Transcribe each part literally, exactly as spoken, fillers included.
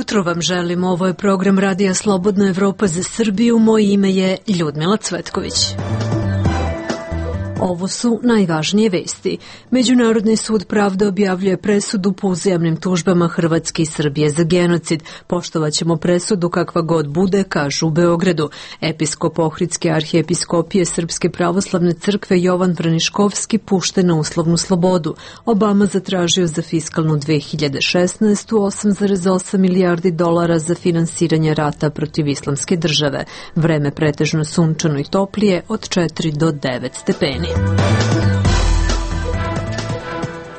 jutro vam želim. Ovo je program Radija Slobodna Evropa za Srbiju. Moje ime je Ljudmila Cvetković. Ovo su najvažnije vesti. Međunarodni sud pravde objavljuje presudu po uzajamnim tužbama Hrvatske i Srbije za genocid. Poštovaćemo presudu kakva god bude, kažu u Beogradu. Episkop Ohridske arhijepiskopije Srpske pravoslavne crkve Jovan Vraniškovski pušten na uslovnu slobodu. Obama zatražio za fiskalnu dve hiljade šesnaestu. osam zarez osam milijardi dolara za finansiranje rata protiv islamske države. Vreme pretežno sunčano i toplije od četiri do devet stepeni.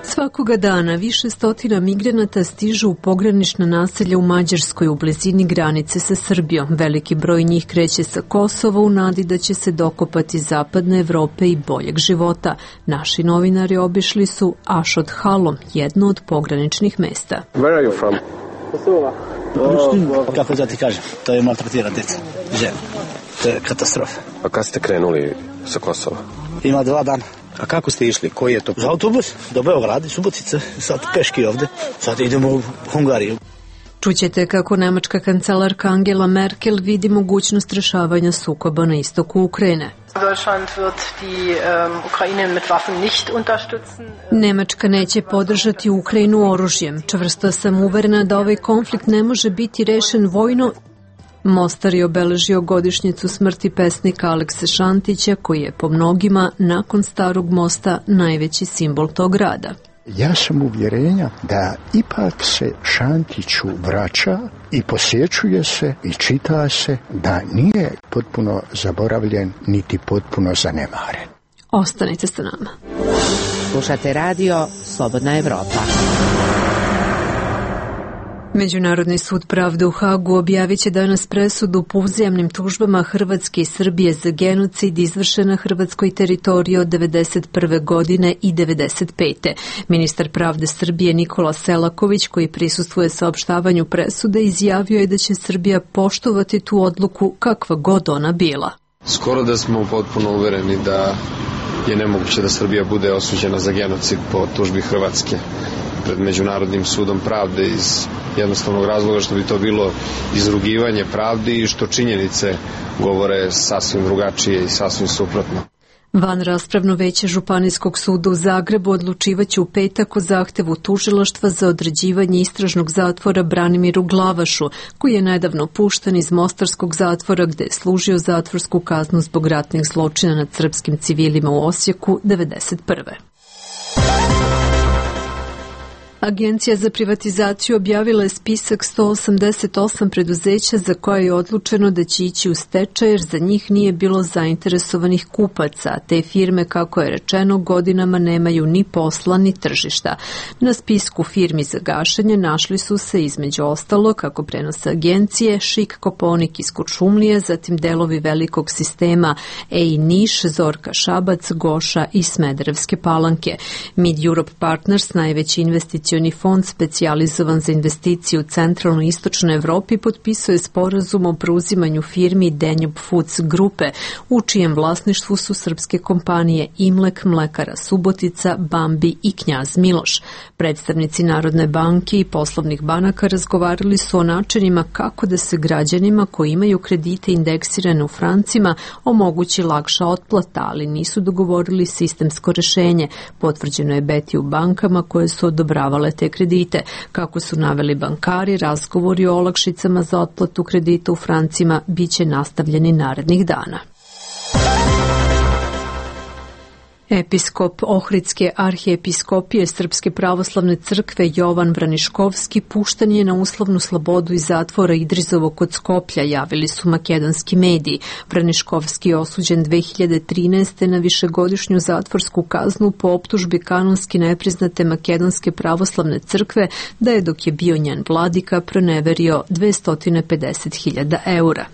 Svakoga dana više stotina migranata stižu u pogranična naselja u Mađarskoj u blizini granice sa Srbijom. Veliki broj njih kreće sa Kosova u nadi da će se dokopati zapadne Evrope i boljeg života. Naši novinari obišli su Ašot Halo, jedno od pograničnih mesta. Where are you from? Kosova. Oh, kako da ti kažem, to je maltretirana djeca, žena. To je katastrofa. A kad ste krenuli sa Kosova? Ima dva dana. A kako ste išli? Koji je to? Za autobus do Beograda, Subotice, sad peški ovde. Sad idemo u Hungariju. Čućete kako nemačka kancelarka Angela Merkel vidi mogućnost rešavanja sukoba na istoku Ukrajine. Nemačka neće podržati Ukrajinu oružjem. Čvrsto sam uverena da ovaj konflikt ne može biti rešen vojno. Mostar je obeležio godišnjicu smrti pesnika Alekse Šantića, koji je po mnogima, nakon Starog mosta, najveći simbol tog grada. Ja sam uvjerenja da ipak se Šantiću vraća i posjećuje se i čita se da nije potpuno zaboravljen niti potpuno zanemaren. Ostanite sa nama. Slušate radio Slobodna Evropa. Međunarodni sud pravde u Hagu objavit će danas presudu po uzajamnim tužbama Hrvatske i Srbije za genocid izvršen na hrvatskoj teritoriji od devedeset prve godine i devedeset pete. Ministar pravde Srbije Nikola Selaković, koji prisustvuje saopštavanju presude, izjavio je da će Srbija poštovati tu odluku kakva god ona bila. Skoro da smo potpuno uvereni da je nemoguće da Srbija bude osuđena za genocid po tužbi Hrvatske pred Međunarodnim sudom pravde iz jednostavnog razloga što bi to bilo izrugivanje pravdi i što činjenice govore sasvim drugačije i sasvim suprotno. Van raspravno veće Županijskog suda u Zagrebu odlučivaće u petak o zahtevu tužilaštva za određivanje istražnog zatvora Branimiru Glavašu, koji je nedavno pušten iz mostarskog zatvora gde je služio zatvorsku kaznu zbog ratnih zločina nad srpskim civilima u Osijeku devedeset prve. Agencija za privatizaciju objavila je spisak sto osamdeset osam preduzeća za koje je odlučeno da će ići u stečaj jer za njih nije bilo zainteresovanih kupaca. Te firme, kako je rečeno, godinama nemaju ni posla ni tržišta. Na spisku firmi za gašenje našli su se između ostalo, kako prenose agencije, Šik Koponik iz Kuršumlije, zatim delovi velikog sistema E I Niš, Zorka Šabac, Goša i Smederevske Palanke. Mid Europe Partners, najveći investicioni fond specijalizovan za investicije u centralnoj i istočnoj Evropi, potpisuje sporazum o preuzimanju firmi Danube Foods grupe, u čijem vlasništvu su srpske kompanije Imlek, Mlekara Subotica, Bambi i Knjaz Miloš. Predstavnici Narodne banke i poslovnih banaka razgovarali su o načinima kako da se građanima koji imaju kredite indeksirane u francima omogući lakša otplata, ali nisu dogovorili sistemsko rešenje. Potvrđeno je beti u bankama koje su odobravale te kredite. Kako su naveli bankari, razgovori o olakšicama za otplatu kredita u francima biće nastavljeni narednih dana. Episkop Ohridske arhijepiskopije Srpske pravoslavne crkve Jovan Vraniškovski pušten je na uslovnu slobodu iz zatvora Idrizovo kod Skoplja, javili su makedonski mediji. Vraniškovski je osuđen dve hiljade trinaeste. na višegodišnju zatvorsku kaznu po optužbi kanonski nepriznate makedonske pravoslavne crkve da je dok je bio njen vladika proneverio dvesta pedeset hiljada eura.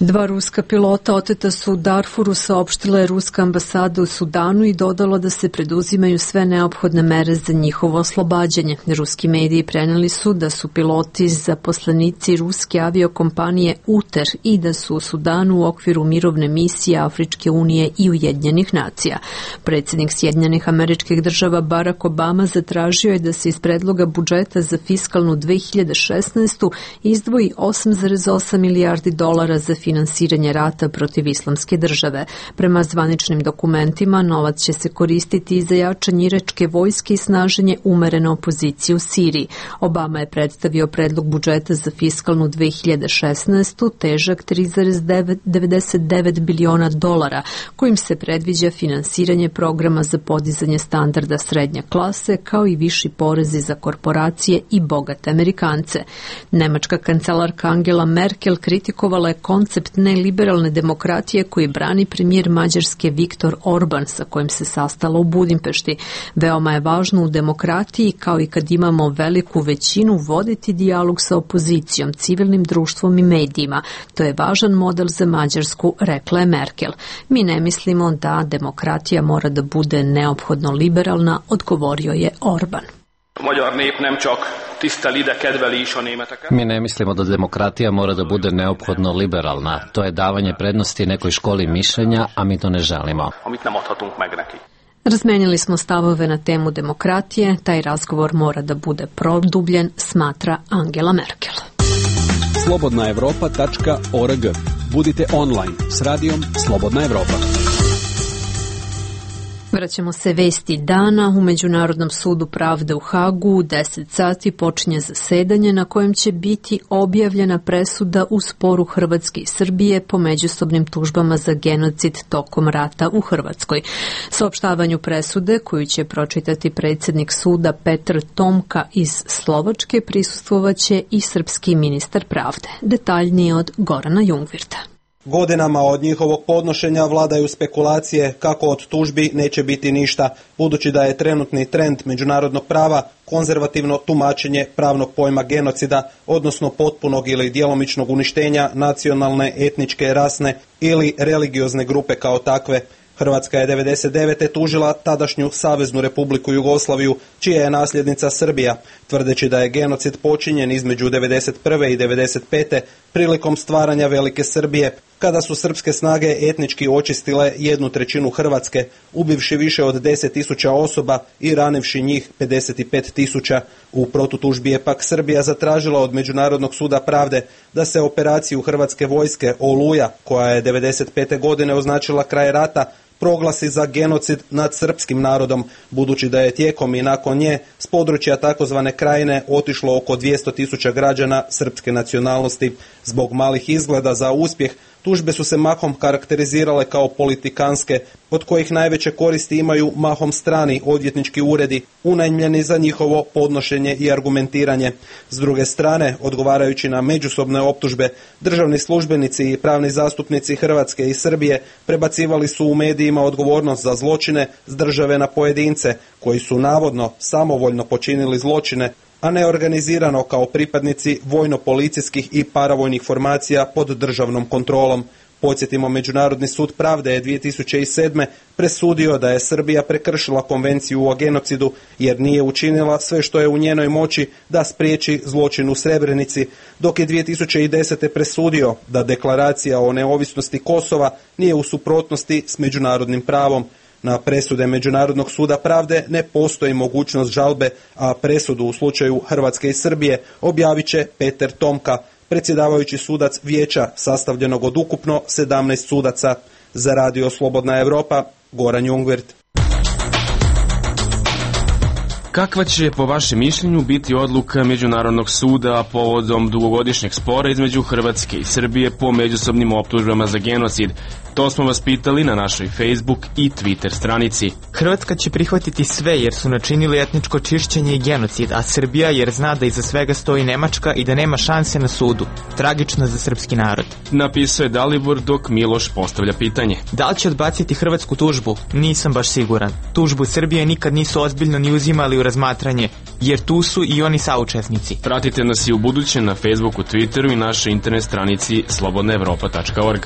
Dva ruska pilota oteta su u Darfuru, saopštila je ruska ambasada u Sudanu i dodala da se preduzimaju sve neophodne mere za njihovo oslobađanje. Ruski mediji preneli su da su piloti zaposlenici ruske aviokompanije UTER i da su u Sudanu u okviru mirovne misije Afričke unije i Ujedinjenih nacija. Predsjednik Sjedinjenih Američkih Država Barack Obama zatražio je da se iz predloga budžeta za fiskalnu dve hiljade šesnaestu izdvoji osam zarez osam milijardi dolara za finansiranje rata protiv Islamske države. Prema zvaničnim dokumentima, novac će se koristiti i za jačanje iračke vojske i snaženje umerene opozicije u Siriji. Obama je predstavio predlog budžeta za fiskalnu dve hiljade šesnaestu težak tri zarez devedeset devet biliona dolara, kojim se predviđa finansiranje programa za podizanje standarda srednje klase, kao i viši porezi za korporacije i bogate Amerikance. Nemačka kancelarka Angela Merkel kritikovala je koncept neliberalne demokratije koji brani premijer Mađarske Viktor Orban, sa kojim se sastala u Budimpešti. Veoma je važno u demokratiji, kao i kad imamo veliku većinu, voditi dijalog sa opozicijom, civilnim društvom i medijima. To je važan model za Mađarsku, rekla je Merkel. Mi ne mislimo da demokratija mora da bude neophodno liberalna, odgovorio je Orban. Mi ne mislimo da demokratija mora da bude neophodno liberalna. To je davanje prednosti nekoj školi mišljenja, a mi to ne želimo. Razmenili smo stavove na temu demokratije, taj razgovor mora da bude produbljen, smatra Angela Merkel. slobodna evropa tačka org. Budite online s radijom Slobodna Evropa. Vraćamo se vesti dana. U Međunarodnom sudu pravde u Hagu u deset sati počinje zasedanje na kojem će biti objavljena presuda u sporu Hrvatske i Srbije po međusobnim tužbama za genocid tokom rata u Hrvatskoj. Saopštavanju presude, koju će pročitati predsjednik suda Petar Tomka iz Slovačke, prisustvovaće i srpski ministar pravde. Detaljnije od Gorana Jungvirta. Godinama od njihovog podnošenja vladaju spekulacije kako od tužbi neće biti ništa, budući da je trenutni trend međunarodnog prava konzervativno tumačenje pravnog pojma genocida, odnosno potpunog ili djelomičnog uništenja nacionalne, etničke, rasne ili religiozne grupe kao takve. Hrvatska je devedeset devete tužila tadašnju Saveznu Republiku Jugoslaviju, čija je nasljednica Srbija, tvrdeći da je genocid počinjen između devedeset prve i devedeset pete prilikom stvaranja Velike Srbije, kada su srpske snage etnički očistile jednu trećinu Hrvatske, ubivši više od deset tisuća osoba i ranivši njih pedeset pet tisuća. U protutužbi je pak Srbija zatražila od Međunarodnog suda pravde da se operaciju Hrvatske vojske Oluja, koja je devedeset pete godine označila kraj rata, proglasi za genocid nad srpskim narodom, budući da je tijekom i nakon nje s područja takozvane Krajine otišlo oko dvjesto tisuća građana srpske nacionalnosti. Zbog malih izgleda za uspjeh, tužbe su se mahom karakterizirale kao politikanske, od kojih najveće koristi imaju mahom strani odvjetnički uredi, unajmljeni za njihovo podnošenje i argumentiranje. S druge strane, odgovarajući na međusobne optužbe, državni službenici i pravni zastupnici Hrvatske i Srbije prebacivali su u medijima odgovornost za zločine s države na pojedince, koji su navodno samovoljno počinili zločine, a ne organizirano kao pripadnici vojno-policijskih i paravojnih formacija pod državnom kontrolom. Podsjetimo, Međunarodni sud pravde je dvije tisuće sedme. presudio da je Srbija prekršila konvenciju o genocidu jer nije učinila sve što je u njenoj moći da spriječi zločin u Srebrenici, dok je dvije tisuće desete. presudio da deklaracija o neovisnosti Kosova nije u suprotnosti s međunarodnim pravom. Na presude Međunarodnog suda pravde ne postoji mogućnost žalbe, a presudu u slučaju Hrvatske i Srbije objavit će Petar Tomka, predsjedavajući sudac vijeća sastavljenog od ukupno sedamnaest sudaca. Za Radio Slobodna Evropa, Goran Jungvirt. Kakva će po vašem mišljenju biti odluka Međunarodnog suda povodom dugogodišnjeg spora između Hrvatske i Srbije po međusobnim optužbama za genocid To smo vas pitali na našoj Facebook i Twitter stranici. Hrvatska će prihvatiti sve jer su načinili etničko čišćenje i genocid, a Srbija jer zna da iza svega stoji Nemačka i da nema šanse na sudu. Tragično za srpski narod. Napisao je Dalibor dok Miloš postavlja pitanje. Da li će odbaciti hrvatsku tužbu? Nisam baš siguran. Tužbu Srbije nikad nisu ozbiljno ni uzimali u razmatranje, jer tu su i oni saučesnici. Pratite nas i u buduće na Facebooku, Twitteru i našoj internet stranici slobodna evropa tačka org.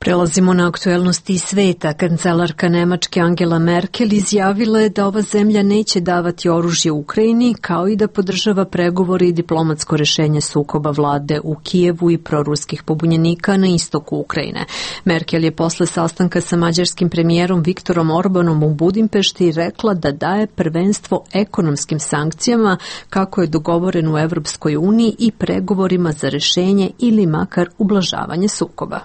Prelazimo na aktuelnosti sveta. Kancelarka Nemačke Angela Merkel izjavila je da ova zemlja neće davati oružje Ukrajini, kao i da podržava pregovore i diplomatsko rešenje sukoba vlade u Kijevu i proruskih pobunjenika na istoku Ukrajine. Merkel je posle sastanka sa mađarskim premijerom Viktorom Orbanom u Budimpešti rekla da daje prvenstvo ekonomskim sankcijama, kako je dogovoren u Evropskoj uniji, i pregovorima za rešenje ili makar ublažavanje sukoba.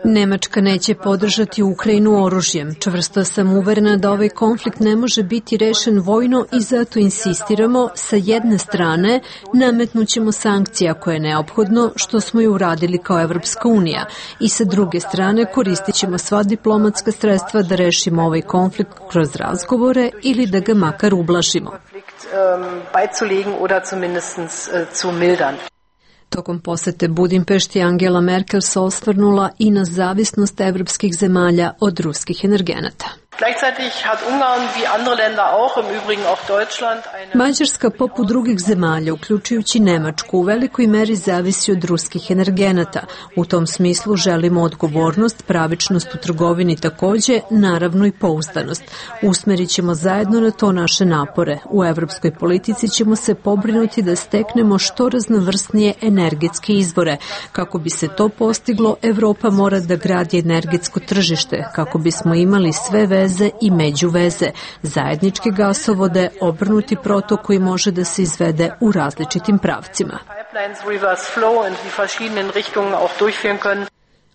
Nemačka neće podržati Ukrajinu oružjem. Čvrsto sam uverena da ovaj konflikt ne može biti rešen vojno i zato insistiramo, sa jedne strane nametnućemo sankcije ako je neophodno, što smo i uradili kao Evropska unija, i sa druge strane koristit ćemo sva diplomatska sredstva da rešimo ovaj konflikt kroz razgovore ili da ga makar ublažimo. Tokom posete Budimpešti Angela Merkel se osvrnula i na zavisnost evropskih zemalja od ruskih energenata. Mađarska, poput drugih zemalja, uključujući Nemačku, u velikoj meri zavisi od ruskih energenata. U tom smislu želimo odgovornost, pravičnost u trgovini takođe, naravno i pouzdanost. Usmerit ćemo zajedno na to naše napore. U evropskoj politici ćemo se pobrinuti da steknemo što raznovrsnije energetske izvore. Kako bi se to postiglo, Evropa mora da gradi energetsko tržište, kako bismo imali sve veze i međuveze, zajedničke gasovode, obrnuti protok koji može da se izvede u različitim pravcima.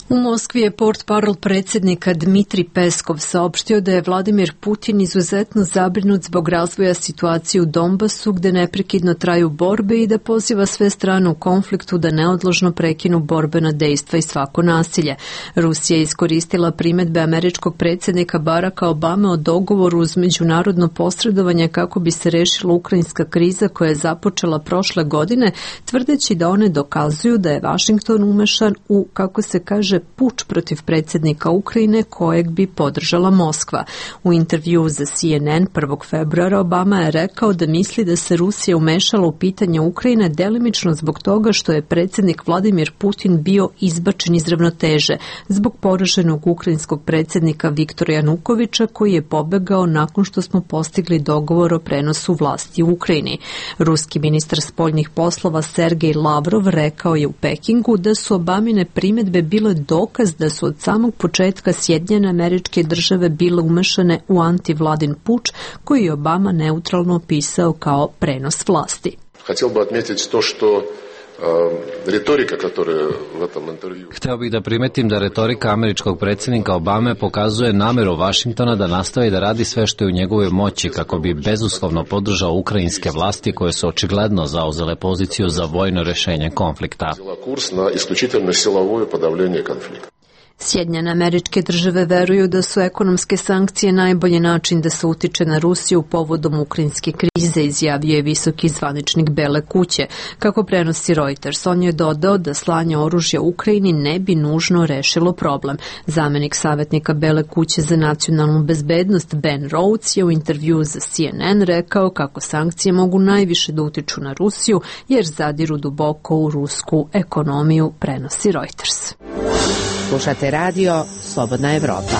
U Moskvi je portparol predsjednika Dmitrij Peskov saopštio da je Vladimir Putin izuzetno zabrinut zbog razvoja situacije u Donbasu, gde neprekidno traju borbe, i da poziva sve strane u konfliktu da neodložno prekinu borbena dejstva i svako nasilje. Rusija je iskoristila primedbe američkog predsjednika Baracka Obame o dogovoru uz međunarodno posredovanje kako bi se rešila ukrajinska kriza koja je započela prošle godine, tvrdeći da one dokazuju da je Vašington umešan u, kako se kaže, puč protiv predsjednika Ukrajine kojeg bi podržala Moskva. U intervju za C N N prvog februara Obama je rekao da misli da se Rusija umešala u pitanje Ukrajine delimično zbog toga što je predsjednik Vladimir Putin bio izbačen iz ravnoteže zbog poraženog ukrajinskog predsjednika Viktora Janukoviča, koji je pobegao nakon što smo postigli dogovor o prenosu vlasti u Ukrajini. Ruski ministar spoljnih poslova Sergej Lavrov rekao je u Pekingu da su Obamine primedbe bile dokaz da su od samog početka Sjedinjene Američke Države bile umešane u antivladin puč koji je Obama neutralno opisao kao prenos vlasti. Хотел бы отметить то, что retorika, которая в этом интервью. Hteo bih da primetim da retorika američkog predsjednika Obame pokazuje nameru Vašingtona da nastavi da radi sve što je u njegovoj moći kako bi bezuslovno podržao ukrajinske vlasti koje su očigledno zauzele poziciju za vojno rešenje konflikta. Kurs na isključitelno silovo podavljenje konflikta. Sjedinjene Američke Države veruju da su ekonomske sankcije najbolji način da se utiče na Rusiju povodom ukrajinske krize, izjavio je visoki zvaničnik Bele kuće. Kako prenosi Reuters, on je dodao da slanje oružja Ukrajini ne bi nužno rešilo problem. Zamenik savjetnika Bele kuće za nacionalnu bezbednost Ben Rhodes je u intervju za C N N rekao kako sankcije mogu najviše da utiču na Rusiju jer zadiru duboko u rusku ekonomiju, prenosi Reuters. Slušate radio Slobodna Evropa.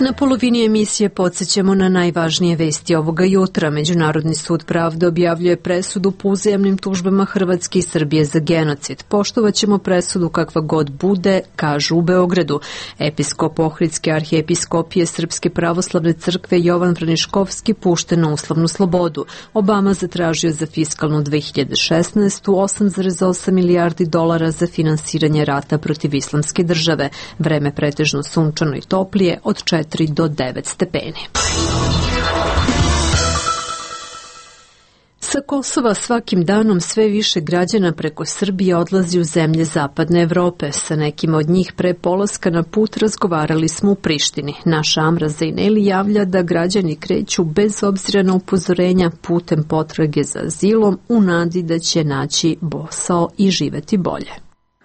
Na polovini emisije podsjećamo na najvažnije vesti ovoga jutra. Međunarodni sud pravde objavljuje presudu po uzajamnim tužbama Hrvatske i Srbije za genocid. Poštovaćemo presudu kakva god bude, kažu u Beogradu. Episkop Ohridske arhijepiskopije Srpske pravoslavne crkve Jovan Vraniškovski pušten na uslovnu slobodu. Obama zatražio za fiskalnu dve hiljade šesnaestu. osam zarez osam milijardi dolara za finansiranje rata protiv islamske države. Vreme pretežno sunčano i toplije od četiri do devet stepeni. Sa Kosova svakim danom sve više građana preko Srbije odlazi u zemlje Zapadne Evrope. Sa nekim od njih pre polaska na put razgovarali smo u Prištini. Naša Amra Zejneli javlja da građani kreću bez obzira na upozorenja putem potrage za azilom u nadi da će naći posao i živeti bolje.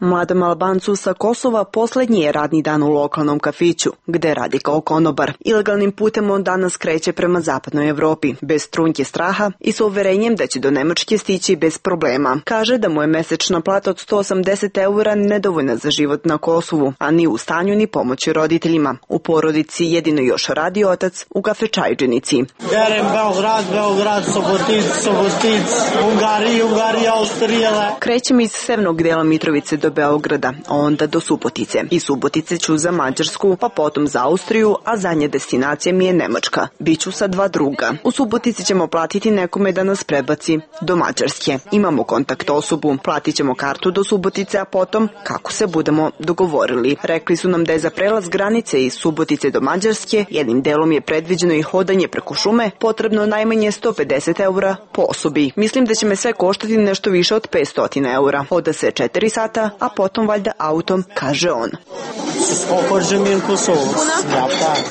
Mladom Albancu sa Kosova poslednji je radni dan u lokalnom kafiću, gde radi kao konobar. Ilegalnim putem on danas kreće prema Zapadnoj Evropi, bez trunke straha i sa uverenjem da će do Nemačke stići bez problema. Kaže da mu je mesečna plata od sto osamdeset eura nedovoljna za život na Kosovu, a ni u stanju ni pomoći roditeljima. U porodici jedino još radi otac u kafečajđenici. Berem Beograd, Beograd, Sobotic, Sobotic, Ungari, Ungari, Austrijele. Krećem iz severnog dela Mitrovice do Beograda, onda do Subotice. Iz Subotice ću za Mađarsku, pa potom za Austriju, a zadnja destinacija mi je Nemačka. Biću sa dva druga. U Subotici ćemo platiti nekome da nas prebaci do Mađarske. Imamo kontakt osobu, platit ćemo kartu do Subotice, a potom kako se budemo dogovorili. Rekli su nam da je za prelaz granice iz Subotice do Mađarske, jednim delom je predviđeno i hodanje preko šume, potrebno najmanje sto pedeset eura po osobi. Mislim da će me sve koštati nešto više od petsto eura. Hoda se četiri sata, a potom valjda autom, kaže on.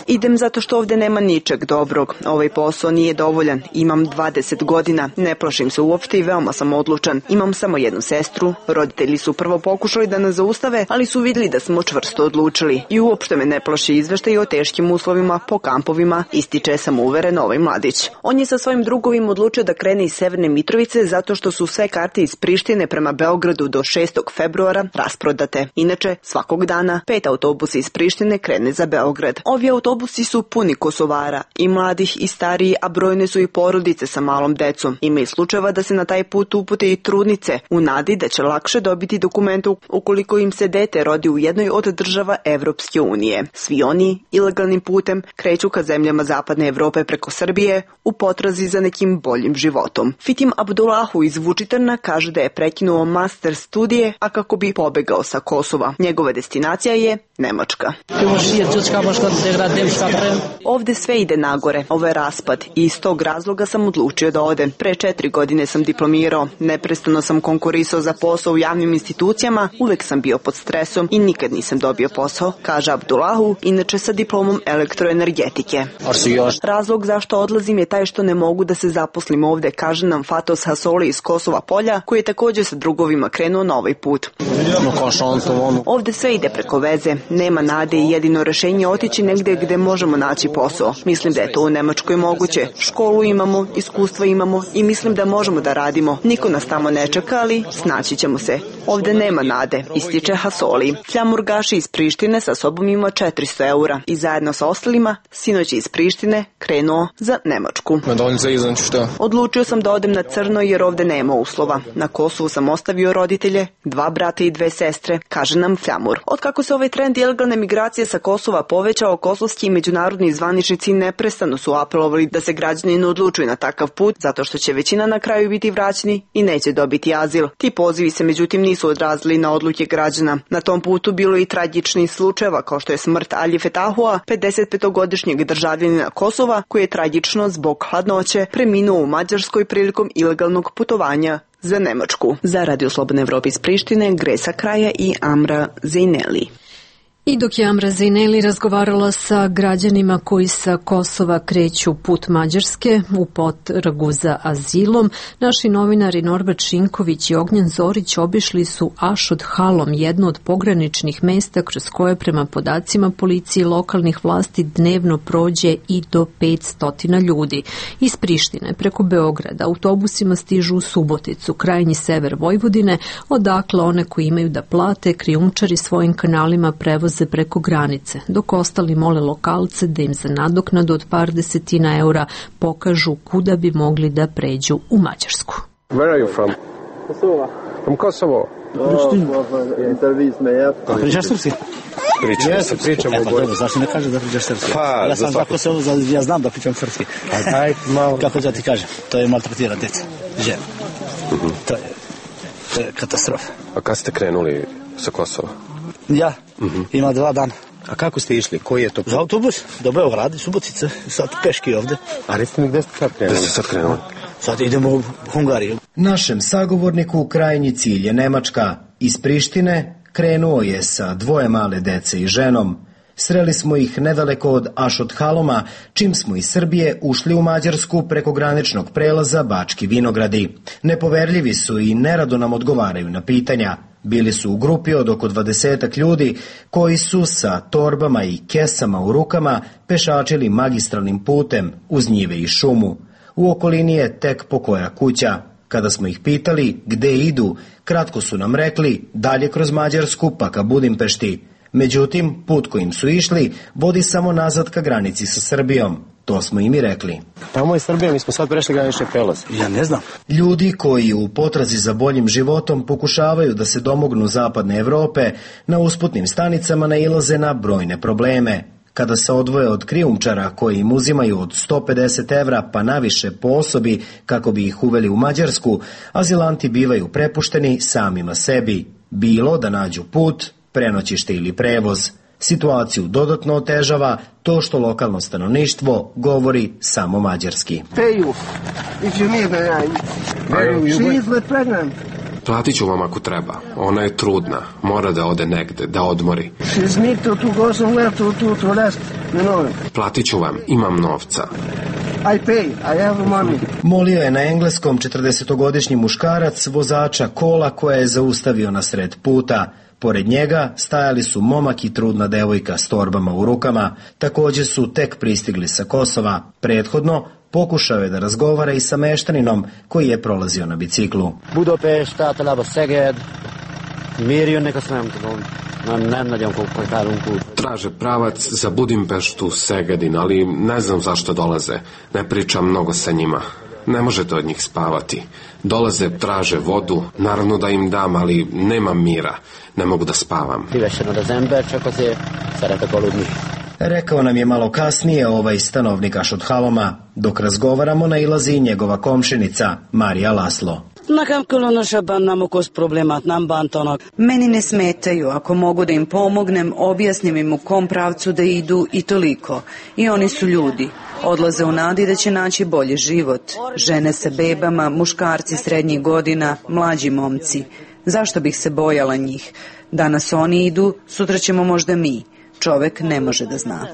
Idem zato što ovde nema ničeg dobrog. Ovaj posao nije dovoljan. Imam dvadeset godina, ne plašim se uopšte i veoma sam odlučan. Imam samo jednu sestru. Roditelji su prvo pokušali da nas zaustave, ali su vidjeli da smo čvrsto odlučili. I uopšte me ne plaši izveštaj o teškim uslovima po kampovima, ističe samouveren ovaj mladić. On je sa svojim drugovim odlučio da krene iz Severne Mitrovice zato što su sve karte iz Prištine prema Beogradu do šestog februara rasprodate. Inače, svakog dana pet autobusa iz Prištine krene za Beograd. Ovi autobusi su puni Kosovara, i mladih i stariji, a brojne su i porodice sa malom decom. Ima i slučajeva da se na taj put upute i trudnice, u nadi da će lakše dobiti dokumente ukoliko im se dete rodi u jednoj od država Evropske unije. Svi oni ilegalnim putem kreću ka zemljama Zapadne Evrope preko Srbije u potrazi za nekim boljim životom. Fitim Abdullahu iz Vučitrna kaže da je prekinuo master studije, a kako bi pobegao sa Kosova. Njegova destinacija je Nemačka. Ovde sve ide nagore, ovo je raspad i iz tog razloga sam odlučio da odem. Pre četiri godine sam diplomirao, neprestano sam konkurisao za posao u javnim institucijama, uvek sam bio pod stresom i nikad nisam dobio posao, kaže Abdullahu, inače sa diplomom elektroenergetike. Razlog zašto odlazim je taj što ne mogu da se zaposlim ovde, kaže nam Fatos Hasoli iz Kosova Polja, koji je također sa drugovima krenuo na ovaj put. Ovde sve ide preko veze, nema nade i jedino rešenje otići negde gde možemo naći posao. Mislim da je to u Nemačkoj moguće. Školu imamo, iskustva imamo i mislim da možemo da radimo. Niko nas tamo ne čeka, ali snaći ćemo se. Ovde nema nade, ističe Hasoli. Fljamur Gaši iz Prištine sa sobom ima četiristo eura i zajedno sa ostalima sinoć iz Prištine krenuo za Nemačku. Odlučio sam da odem na crno jer ovde nema uslova. Na Kosovu sam ostavio roditelje, dva brata i dve sestre, kaže nam Fljamur. Otkako se ovaj trend ilegalne migracije sa Kosova povećao, kosovski i međunarodni zvaničnici neprestano su apelovali da se građani ne odlučuju na takav put, zato što će većina na kraju biti vraćeni i neće dobiti azil. Ti pozivi se međutim nisu odrazili na odluke građana. Na tom putu bilo i tragičnih slučajeva, kao što je smrt Ali Fetahua, pedesetpetogodišnjeg državljanina Kosova, koji je tragično zbog hladnoće preminuo u Mađarskoj prilikom ilegalnog putovanja za Nemačku. Za Radio Slobodne Evrope iz Prištine, Gresa Kraja i Amra Zejneli. I dok je Amra Zejneli razgovarala sa građanima koji sa Kosova kreću put Mađarske u potragu za azilom, naši novinari Norbert Šinković i Ognjen Zorić obišli su Ašod Halom, jedno od pograničnih mesta kroz koje prema podacima policije i lokalnih vlasti dnevno prođe i do petsto ljudi. Iz Prištine preko Beograda autobusima stižu u Suboticu, krajnji sever Vojvodine, odakle one koji imaju da plate krijumčari svojim kanalima prevoze preko granice, dok ostali mole lokalce da im za nadoknadu od par desetina eura pokažu kuda bi mogli da pređu u Mađarsku. Where are you from? Kosovo. From Kosovo? A pričaš srpski? Pričam se, pričamo u Bojnu. Zašto ne kažeš da pričaš srpski? Pa, ja sam za Kosovo, ja znam da pričam srpski. A daj malo. Kako da ti kažem, to je maltretira djeca, žena. To je, to je katastrofa. A kad ste krenuli sa Kosova? Ja, ima dva dana. A kako ste išli? Koji je to put? Za autobus, do Beograda, Subotice, sad peški ovde. A recite mi gde ste sad krenuli? Gde ste sad krenuli? sad idemo u Hungariju. Našem sagovorniku krajnji cilj je Nemačka. Iz Prištine krenuo je sa dvoje male dece i ženom. Sreli smo ih nedaleko od Ašothaloma, čim smo iz Srbije ušli u Mađarsku preko graničnog prelaza Bački Vinogradi. Nepoverljivi su i nerado nam odgovaraju na pitanja. Bili su u grupi od oko dvadesetak ljudi koji su sa torbama i kesama u rukama pešačili magistralnim putem uz njive i šumu. U okolini je tek pokoja kuća. Kada smo ih pitali gde idu, kratko su nam rekli dalje kroz Mađarsku pa ka Budimpešti. Međutim, put kojim su išli vodi samo nazad ka granici sa Srbijom. To smo im i rekli. Tamo je Srbija, mi smo sad prešli granični prelaz. Ja ne znam. Ljudi koji u potrazi za boljim životom pokušavaju da se domognu zapadne Evrope, na usputnim stanicama nailaze na brojne probleme. Kada se odvoje od krijumčara koji im uzimaju od sto pedeset evra pa naviše po osobi kako bi ih uveli u Mađarsku, azilanti bivaju prepušteni samima sebi. Bilo da nađu put, prenoćište ili prevoz. Situaciju dodatno otežava to što lokalno stanovništvo govori samo mađarski. Platit ću vam ako treba. Ona je trudna. Mora da ode negde, da odmori. Platit ću vam. Imam novca. Molio je na engleskom četrdesetogodišnji muškarac vozača kola koja je zaustavio na sred puta. Pored njega stajali su momak i trudna devojka s torbama u rukama. Također su tek pristigli sa Kosova. Prethodno pokušao je da razgovara i sa meštaninom koji je prolazio na biciklu. Budapest, általában Szeged, miért jönnek, azt nem tudom. Nem, nem nagyon komplikálunk út. Traže pravac za Budimpeštu, Segedin, ali ne znam zašto dolaze. Ne pričam mnogo sa njima. Ne možete od njih spavati. Dolaze, traže vodu, naravno da im dam, ali nemam mira. Ne mogu da spavam. Szívesen ad az ember, csak azért szeretek aludni. Rekao nam je malo kasnije ovaj stanovnik Ašothaloma. Dok razgovaramo nailazi i njegova komšinica, Marija Laslo. Meni ne smetaju, ako mogu da im pomognem, objasnim im u kom pravcu da idu i toliko. I oni su ljudi. Odlaze u nadi da će naći bolji život. Žene sa bebama, muškarci srednjih godina, mlađi momci. Zašto bih se bojala njih? Danas oni idu, sutra ćemo možda mi. Čovek ne može da zna.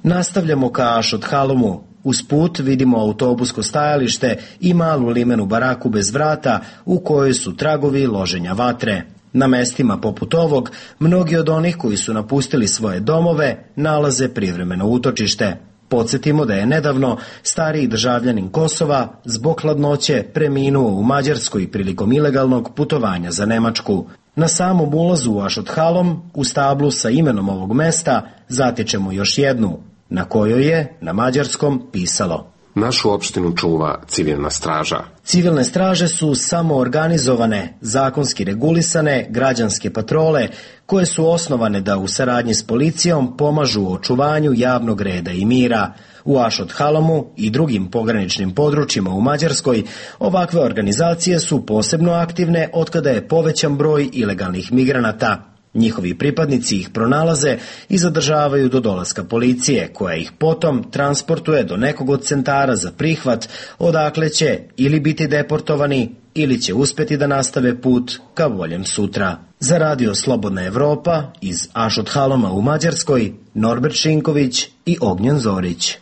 Nastavljamo ka Ašothalomu. Uz put vidimo autobusko stajalište i malu limenu baraku bez vrata u kojoj su tragovi loženja vatre. Na mestima poput ovog, mnogi od onih koji su napustili svoje domove nalaze privremeno utočište. Podsjetimo da je nedavno stariji državljanin Kosova zbog hladnoće preminuo u Mađarskoj prilikom ilegalnog putovanja za Nemačku. Na samom ulazu u Ašothalom, u stablu sa imenom ovog mesta, zatičemo još jednu, na kojoj je na mađarskom pisalo: Našu opštinu čuva civilna straža. Civilne straže su samoorganizovane, zakonski regulisane, građanske patrole koje su osnovane da u saradnji s policijom pomažu u očuvanju javnog reda i mira. U Ašothalomu i drugim pograničnim područjima u Mađarskoj ovakve organizacije su posebno aktivne otkada je povećan broj ilegalnih migranata. Njihovi pripadnici ih pronalaze i zadržavaju do dolaska policije, koja ih potom transportuje do nekog od centara za prihvat, odakle će ili biti deportovani ili će uspjeti da nastave put ka boljem sutra. Za radio Slobodna Evropa iz Ašothaloma u Mađarskoj, Norbert Šinković i Ognjen Zorić.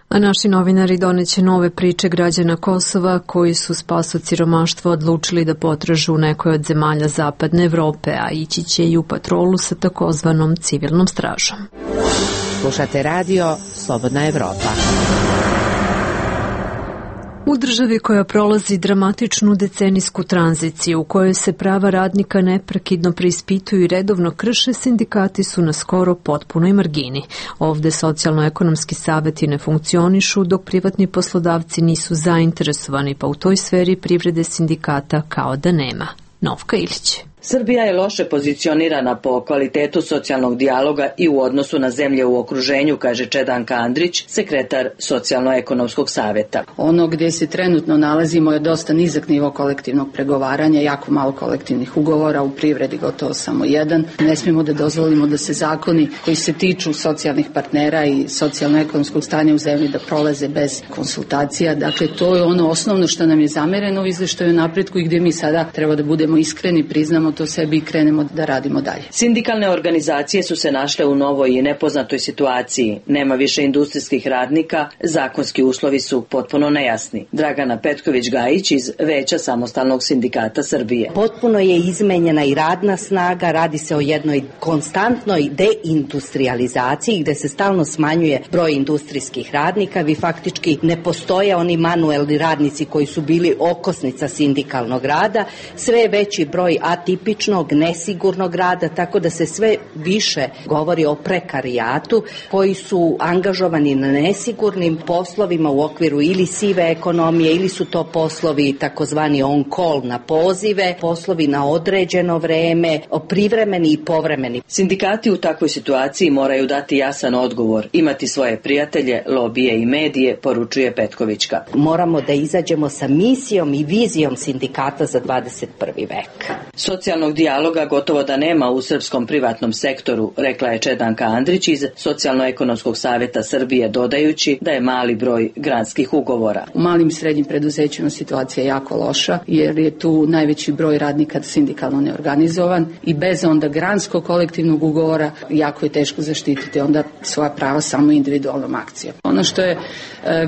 A naši novinari doneće nove priče građana Kosova koji su spas od siromaštva odlučili da potražu u nekoj od zemalja zapadne Evrope, a ići će i u patrolu sa takozvanom civilnom stražom. Slušate radio Slobodna Evropa. U državi koja prolazi dramatičnu decenijsku tranziciju u kojoj se prava radnika neprekidno preispituju i redovno krše, sindikati su na skoro potpunoj margini. Ovde socijalno-ekonomski saveti ne funkcionišu, dok privatni poslodavci nisu zainteresovani, pa u toj sferi privrede sindikata kao da nema. Novka Ilić. Srbija je loše pozicionirana po kvalitetu socijalnog dijaloga i u odnosu na zemlje u okruženju, kaže Čedanka Andrić, sekretar Socijalno-ekonomskog saveta. Ono gdje se trenutno nalazimo je dosta nizak nivo kolektivnog pregovaranja, jako malo kolektivnih ugovora, u privredi gotovo samo jedan. Ne smijemo da dozvolimo da se zakoni koji se tiču socijalnih partnera i socijalno-ekonomskog stanja u zemlji da prolaze bez konsultacija. Dakle, to je ono osnovno što nam je zamereno u izveštaju o napretku i gdje mi sada treba da budemo iskreni, priznamo to sebi i krenemo da radimo dalje. Sindikalne organizacije su se našle u novoj i nepoznatoj situaciji. Nema više industrijskih radnika, zakonski uslovi su potpuno nejasni. Dragana Petković-Gajić iz Veća samostalnog sindikata Srbije. Potpuno je izmenjena i radna snaga, radi se o jednoj konstantnoj deindustrializaciji gde se stalno smanjuje broj industrijskih radnika, vi faktički ne postoje oni manuelni radnici koji su bili okosnica sindikalnog rada, sve je veći broj atipičnog, nesigurnog rada, tako da se sve više govori o prekarijatu koji su angažovani na nesigurnim poslovima u okviru ili sive ekonomije ili su to poslovi takozvani on call na pozive, poslovi na određeno vreme, privremeni i povremeni. Sindikati u takvoj situaciji moraju dati jasan odgovor, imati svoje prijatelje, lobije i medije, poručuje Petkovićka. Moramo da izađemo sa misijom i vizijom sindikata za dvadeset prvi vek. Socijalnog dijaloga gotovo da nema u srpskom privatnom sektoru, rekla je Čedanka Andrić iz Socijalno-ekonomskog saveta Srbije, dodajući da je mali broj granskih ugovora. U malim i srednjim preduzećima situacija je jako loša, jer je tu najveći broj radnika sindikalno neorganizovan i bez onda granskog kolektivnog ugovora jako je teško zaštititi onda svoja prava samo individualnom akcijom. Ono što je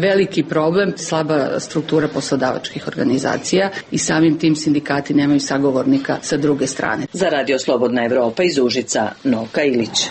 veliki problem, slaba struktura poslodavačkih organizacija i samim tim sindikati nemaju sagovornika sa druge strane. Za Radio Slobodna Evropa iz Užica, Novka Ilić.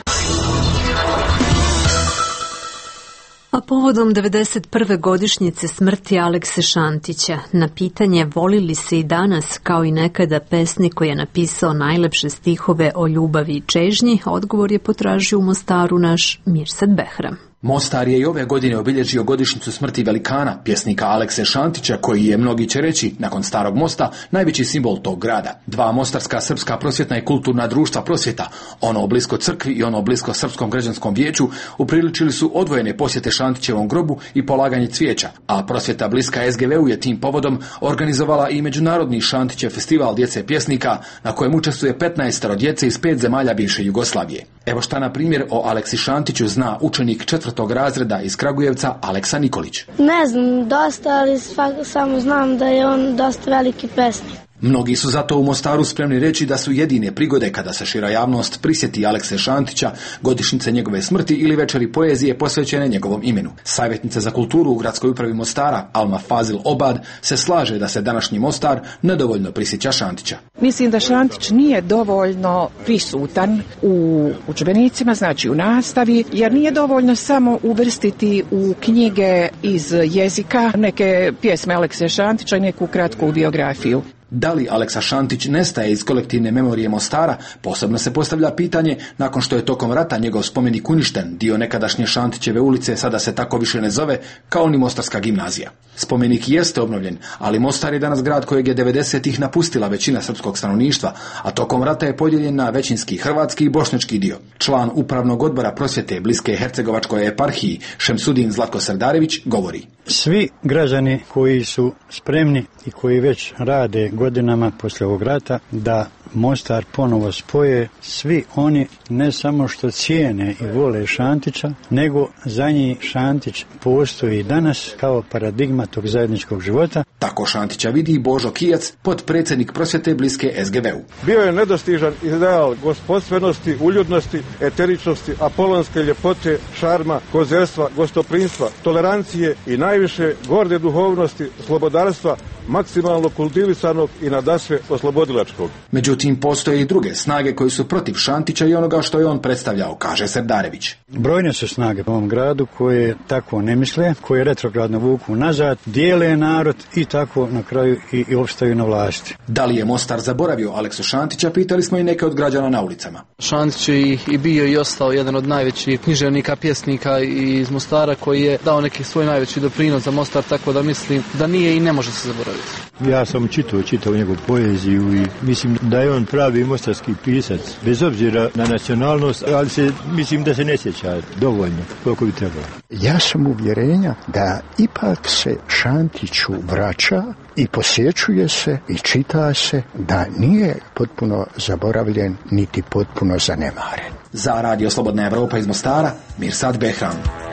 A povodom devedeset prve godišnjice smrti Alekse Šantića, na pitanje voli li se i danas kao i nekada pesnik koji je napisao najlepše stihove o ljubavi i čežnji, odgovor je potražio u Mostaru naš Mirsad Behram. Mostar je i ove godine obilježio godišnjicu smrti velikana, pjesnika Alekse Šantića, koji je, mnogi će reći, nakon Starog mosta, najveći simbol tog grada. Dva mostarska srpska prosvjetna i kulturna društva prosvjeta, ono blisko crkvi i ono blisko Srpskom građanskom vijeću, upriličili su odvojene posjete Šantićevom grobu i polaganje cvijeća, a prosvjeta bliska es ge ve u je tim povodom organizovala i međunarodni Šantićev festival djece pjesnika, na kojem učestvuje petnaestoro djece iz pet zemalja bivše Jugoslavije. Evo šta na primjer o Aleksi Šantiću zna učenik četvrtog razreda iz Kragujevca Aleksa Nikolić. Ne znam dosta, ali samo znam da je on dosta veliki pesnik. Mnogi su zato u Mostaru spremni reći da su jedine prigode kada se šira javnost prisjeti Alekse Šantića, godišnjice njegove smrti ili večeri poezije posvećene njegovom imenu. Savjetnica za kulturu u gradskoj upravi Mostara, Alma Fazil Obad, se slaže da se današnji Mostar nedovoljno prisjeća Šantića. Mislim da Šantić nije dovoljno prisutan u udžbenicima, znači u nastavi, jer nije dovoljno samo uvrstiti u knjige iz jezika neke pjesme Alekse Šantića i neku kratku biografiju. Da li Aleksa Šantić nestaje iz kolektivne memorije Mostara, posebno se postavlja pitanje nakon što je tokom rata njegov spomenik uništen, dio nekadašnje Šantićeve ulice sada se tako više ne zove kao ni Mostarska gimnazija. Spomenik jeste obnovljen, ali Mostar je danas grad kojeg je devedesetih napustila većina srpskog stanovništva, a tokom rata je podijeljen na većinski hrvatski i bošnjački dio. Član upravnog odbora prosvjete bliske Hercegovačkoj eparhiji Šemsudin Zlatko Srdarević govori. Svi građani koji su spremni i koji već rade godinama poslije ovog rata da Mostar ponovo spoje, svi oni ne samo što cijene i vole Šantića, nego za njih Šantić postoji danas kao paradigma tog zajedničkog života. Tako Šantića vidi Božo Kijac, potpredsjednik prosvjete bliske es ge ve u. Bio je nedostižan ideal gospodstvenosti, uljudnosti, eteričnosti, apolonske ljepote, šarma, kozerstva, gostoprinstva, tolerancije i najviše gorde duhovnosti, slobodarstva, maksimalno kultivisanog i nadasve oslobodilačkog. Međutim, postoje i druge snage koji su protiv Šantića i onoga što je on predstavljao, kaže Srdarević. Brojne su snage u ovom gradu koje tako ne misle, koje retrogradno vuku nazad, dijele narod i tako na kraju i, i opstaju na vlasti. Da li je Mostar zaboravio Aleksu Šantića, pitali smo i neke od građana na ulicama. Šantić je i, i bio i ostao jedan od najvećih književnika, pjesnika iz Mostara koji je dao neki svoj najveći doprinos za Mostar, tako da mislim da nije i ne može se zaboraviti. zaboraviti. Ja sam čitao, čitao njegovu poeziju i mislim da je on pravi mostarski pisac, bez obzira na nacionalnost, ali se, mislim da se ne sjeća dovoljno koliko bi trebalo. Ja sam uvjerenja da ipak se Šantiću vraća i posjećuje se i čita se da nije potpuno zaboravljen niti potpuno zanemaren. Za Radio Slobodna Evropa iz Mostara, Mirsad Behram.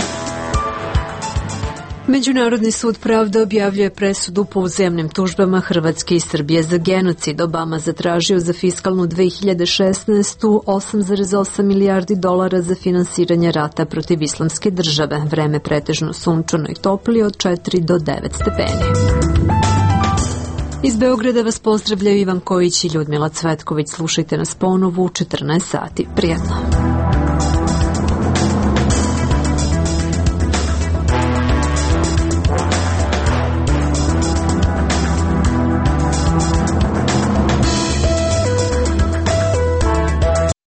Međunarodni sud pravde objavljuje presudu po uzajamnim tužbama Hrvatske i Srbije za genocid. Obama zatražio za fiskalnu dve hiljade šesnaestu osam zarez osam milijardi dolara za finansiranje rata protiv islamske države. Vreme pretežno sunčano i topli od četiri do devet stepeni. Iz Beograda vas pozdravljaju Ivan Kojić i Ljudmila Cvetković. Slušajte nas ponovo u četrnaest sati. Prijetno.